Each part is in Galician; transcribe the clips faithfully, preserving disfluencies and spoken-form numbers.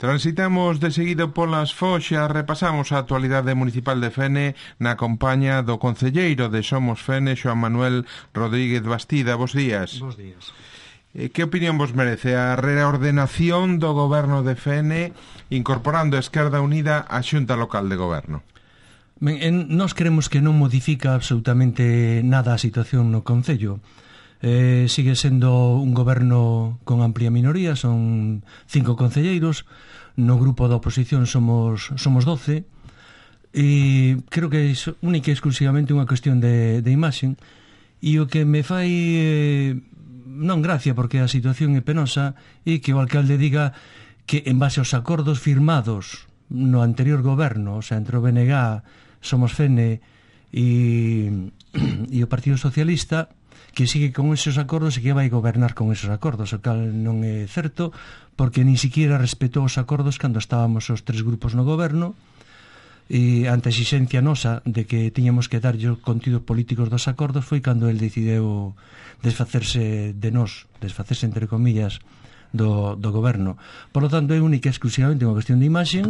Transitamos de seguido polas Foxas, repasamos a actualidade municipal de Fene na compañía do concelleiro de Somos Fene, Xoán Manuel Rodríguez Bastida. Bos días. Bos días. Que opinión vos merece a reordenación do goberno de Fene incorporando a Esquerda Unida á Xunta Local de Goberno? Ben, en, nós creemos que non modifica absolutamente nada a situación no concello. Eh, sigue sendo un goberno con amplia minoría, son cinco concelleiros, no grupo da oposición somos somos doce, e creo que é única e exclusivamente unha cuestión de, de imaxe, e o que me fai eh, non gracia, porque a situación é penosa, e que o alcalde diga que en base aos acordos firmados no anterior goberno, o sea, entre o B N G, Somos Fene e, e o Partido Socialista, que sigue con esos acordos e que vai gobernar con esos acordos, o cal non é certo, porque nin siquiera respetou os acordos cando estábamos os tres grupos no goberno, e ante a exigencia nosa de que tiñamos que darlle os contidos políticos dos acordos foi cando el decideu desfacerse de nós, desfacerse entre comillas do, do goberno. Por lo tanto, é única e exclusivamente unha cuestión de imaxe,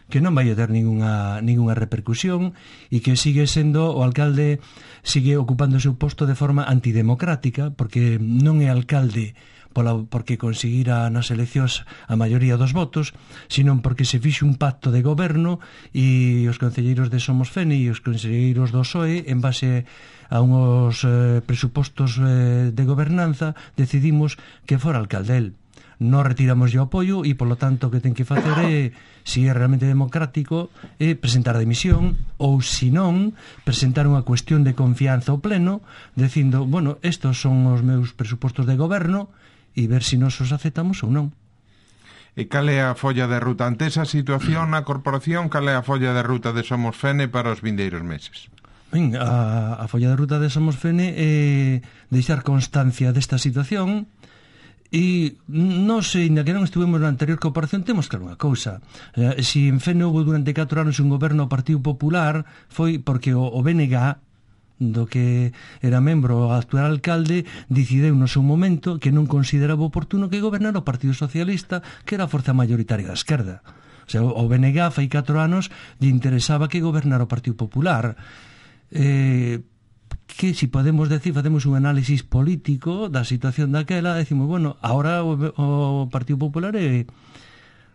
que non vai a ter ninguna, ninguna repercusión, e que sigue sendo, o alcalde sigue ocupando o seu posto de forma antidemocrática, porque non é alcalde pola, porque conseguira nas eleccións a maioría dos votos, sino porque se fixe un pacto de goberno e os concelleiros de Somos Fene e os concelleiros do P S O E, en base a unhos eh, presupostos eh, de gobernanza, decidimos que fora alcalde el. Non retiramos o apoio e, polo tanto, o que ten que facer é, se é realmente democrático, é presentar a dimisión, ou, se non, presentar unha cuestión de confianza ao pleno, dicindo, bueno, estos son os meus presupostos de goberno, e ver se nos os aceptamos ou non. E cal é a folla de ruta? Ante esa situación na corporación, cal é a folla de ruta de Somos Fene para os vindeiros meses? Ben, a, a folla de ruta de Somos Fene é deixar constancia desta situación. E nós, ainda que non estuvemos na anterior corporación, temos claro unha cousa. Eh, se en Fene houve durante catro anos un goberno ao Partido Popular, foi porque o, o B N G, do que era membro o actual alcalde, decideu no seu momento que non consideraba oportuno que gobernara o Partido Socialista, que era a forza mayoritaria da esquerda. O sea, o B N G fai catro anos lle interesaba que gobernara o Partido Popular. Eh... que, si podemos decir, facemos un análisis político da situación daquela, decimos, bueno, ahora o, o Partido Popular é,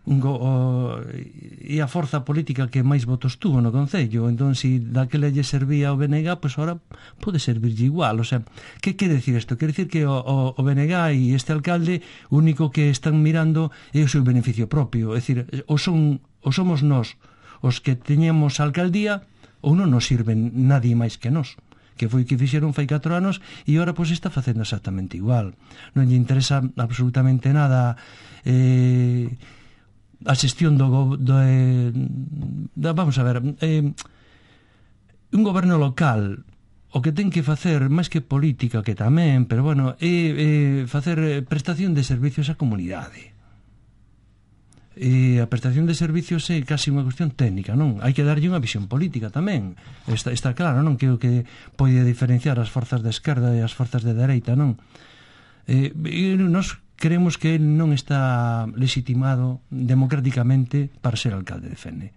un, o, é a forza política que máis votos tuvo no Concello, entón, si daquela lle servía o B N G, pois pues ahora pode servirlle igual. O sea, que quere decir isto? Quere decir que o, o, o B N G e este alcalde, o único que están mirando é o seu beneficio propio, é dicir, o, son, o somos nós os que teñemos a alcaldía, ou non nos sirven nadie máis que nós, que foi que fixeron fai catro anos, e agora pois está facendo exactamente igual. Non lle interesa absolutamente nada eh, a xestión do, do eh, da, vamos a ver, eh, un goberno local o que ten que facer, máis que política, que tamén, pero bueno, é, é facer prestación de servicios á comunidade. E a prestación de servicios é casi unha cuestión técnica, non? Hai que darlle unha visión política tamén. Está, está claro, non? Que o que pode diferenciar as forzas de esquerda e as forzas de dereita, non? Eh, e nós creemos que ele non está legitimado democráticamente para ser alcalde de Fene.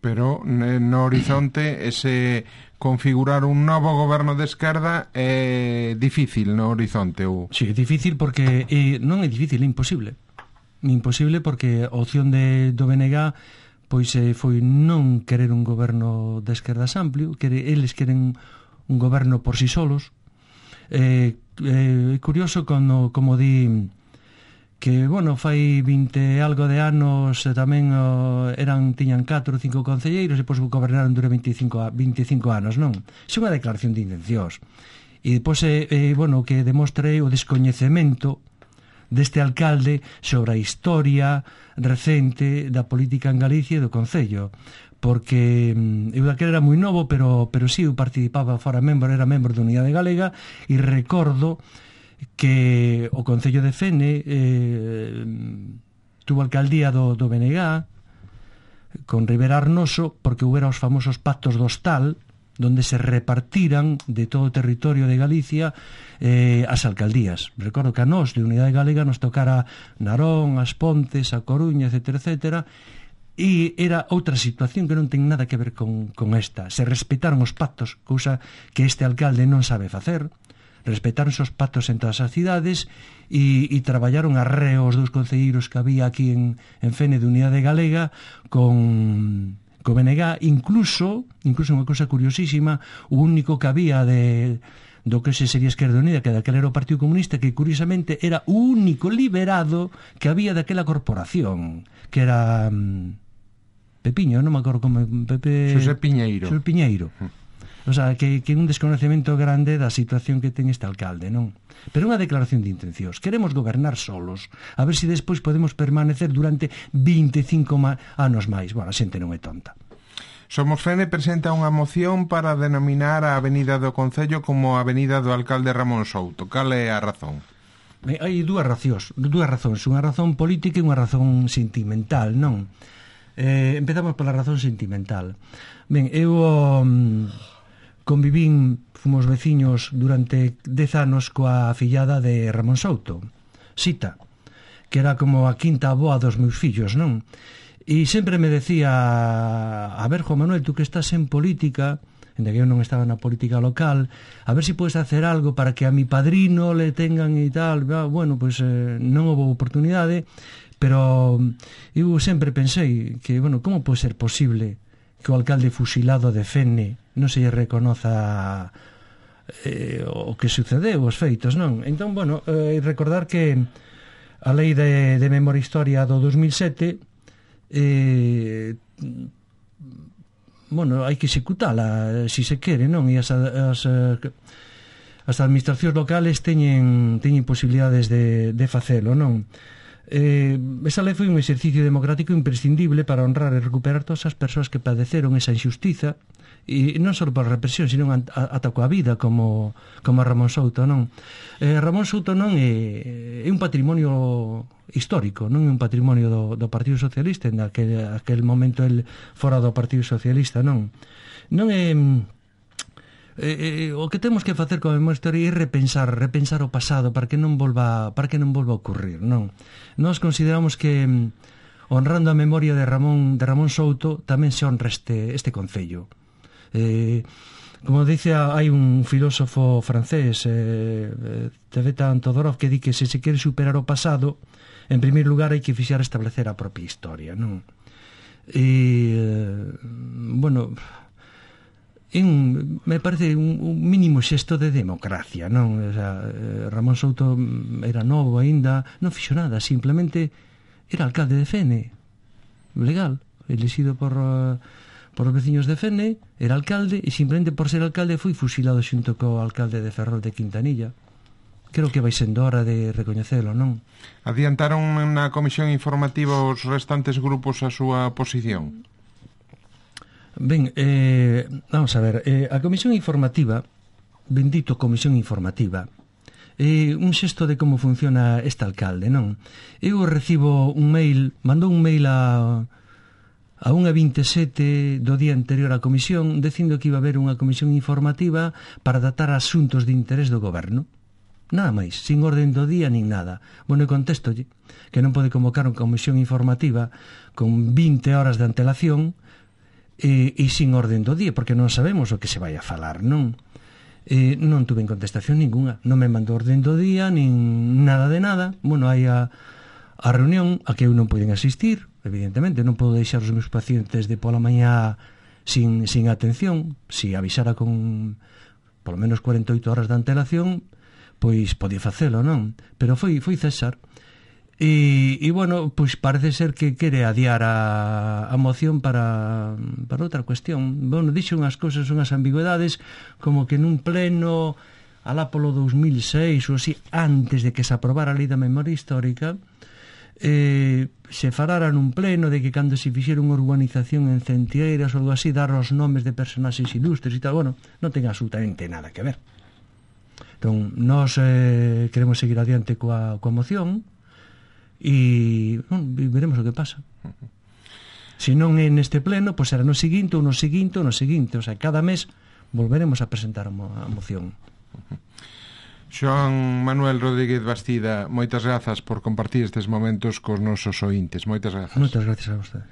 Pero no horizonte ese configurar un novo goberno de esquerda é difícil no horizonte? Ou... Sí, é difícil porque eh, non é difícil, é imposible. Imposible porque a opción de, do B N G pois eh, foi non querer un goberno de esquerdas amplio, quere, eles queren un goberno por si solos. É eh, eh, curioso como, como di que, bueno, fai vinte algo de anos eh, tamén oh, eran, tiñan catro ou cinco concelleiros e depois gobernaron durante veinticinco anos, non? É unha declaración de intencións. E depois, eh, eh, bueno, que demostre o descoñecemento deste alcalde sobre a historia recente da política en Galicia e do Concello, porque eu daquela era moi novo, pero, pero sí, eu participaba fora membro, era membro da Unidade Galega, e recordo que o Concello de Fene eh, tuvo alcaldía do, do B N G con Rivera Arnoso, porque houbera os famosos pactos do hostal, donde se repartiran de todo o territorio de Galicia eh, as alcaldías. Recordo que a nós, de Unidade Galega, nos tocara Narón, As Pontes, a Coruña, etcétera, etcétera, e era outra situación que non ten nada que ver con, con esta. Se respetaron os pactos, cousa que este alcalde non sabe facer. Respetaron os pactos en todas as cidades e, e traballaron arreo os dous concelleiros que había aquí en, en Fene de Unidade Galega con... co B N G, incluso, incluso unha cousa curiosísima, o único que había de, do que se sería Esquerda Unida, que daquela era o Partido Comunista, que curiosamente era o único liberado que había daquela corporación, que era um, Pepiño, non me acordo como Pepe... Xosé Piñeiro. Xosé Piñeiro. O sea, que, que un desconocemento grande da situación que ten este alcalde, non? Pero unha declaración de intencións. Queremos gobernar solos, a ver se si despois podemos permanecer durante veinticinco anos máis. Bueno, a xente non é tonta. Somos Fene presenta unha moción para denominar a avenida do Concello como a avenida do alcalde Ramón Souto. Cal é a razón? Hai dúas razóns, dúas razóns, unha razón política e unha razón sentimental, non? Eh, empezamos pola razón sentimental. Ben, eu um, convivín, fomos veciños durante dez anos coa fillada de Ramón Souto, Sita, que era como a quinta avoa dos meus fillos, non? E sempre me decía, a ver, Juan Manuel, tú que estás en política, en que eu non estaba na política local, a ver se si podes hacer algo para que a mi padrino le tengan e tal. Bueno, pois eh, non houve oportunidade, pero eu sempre pensei que, bueno, como pode ser posible que o alcalde fusilado de Fene non se lle reconoza eh, o que sucedeu, os feitos, non? Entón, bueno, eh, recordar que a lei de, de memoria historia do dos mil sete eh, bueno, hai que executala se si se quere, non? E as, as, as administracións locales teñen, teñen posibilidades de, de facelo, non? Eh, esa lei foi un exercicio democrático imprescindible para honrar e recuperar todas as persoas que padeceron esa injustiza, e non só por represión, sino ata coa vida, como, como a Ramón Souto, non? Eh, Ramón Souto non é, é un patrimonio histórico, non é un patrimonio do, do Partido Socialista, en aquel, aquel momento el fora do Partido Socialista, non? Non é... Eh, eh, o que temos que facer con a memoria histórica é repensar, repensar o pasado para que non volva, para que non volva a ocurrir, non? Nós consideramos que honrando a memoria de Ramón de Ramón Souto tamén se honra este este concello. Eh, como dice, hai un filósofo francés, eh, Tevetan Todorov, que di que se se quere superar o pasado, en primeiro lugar hai que fixar establecer a propia historia, non? E, eh, bueno, un, me parece un, un mínimo xesto de democracia, non? O sea, Ramón Souto era novo aínda, non fixo nada, simplemente era alcalde de Fene, legal, elegido por por os veciños de Fene, era alcalde, e simplemente por ser alcalde foi fusilado xunto co alcalde de Ferrol de Quintanilla. Creo que vai sendo hora de recoñecelo, non? Adiantaron na comisión informativa os restantes grupos a súa posición? Ben, eh, vamos a ver, eh, a comisión informativa, bendito comisión informativa, é un xesto de como funciona este alcalde, non? Eu recibo un mail, mandou un mail a a unha veintesete do día anterior á comisión, dicindo que iba a haber unha comisión informativa para tratar asuntos de interés do goberno. Nada máis, sin orden do día nin nada. Bueno, e contestolle que non pode convocar unha comisión informativa con vinte horas de antelación e, e sin orden do día, porque non sabemos o que se vai a falar, non? E non tuve contestación ninguna, non me mandou orden do día, nin nada de nada. Bueno, hai a, a reunión a que eu non poden asistir, evidentemente, non podo deixar os meus pacientes de pola mañá sin, sin atención. Si avisara con polo menos cuarenta e oito horas de antelación, pois podía facelo, non? Pero foi, foi César. E, e bueno, pois parece ser que quere adiar a, a moción para, para outra cuestión. Bueno, dixo unhas cousas, unhas ambigüedades, como que nun pleno alá polo dos mil seis ou así, antes de que se aprobara a lei da memoria histórica, eh, se falara nun pleno de que cando se fixera unha urbanización en Centieiras ou algo así, dar os nomes de personaxes ilustres e tal. Bueno, non ten absolutamente nada que ver. Entón, nós eh, queremos seguir adiante coa, coa moción e bueno, veremos o que pasa. Se non é neste pleno, pois será no seguinte ou no seguinte ou no seguinte. O sea, cada mes volveremos a presentar a, mo a moción. Xoan Manuel Rodríguez Bastida, moitas grazas por compartir estes momentos cos nosos ointes. Moitas grazas. Moitas grazas a vostedes.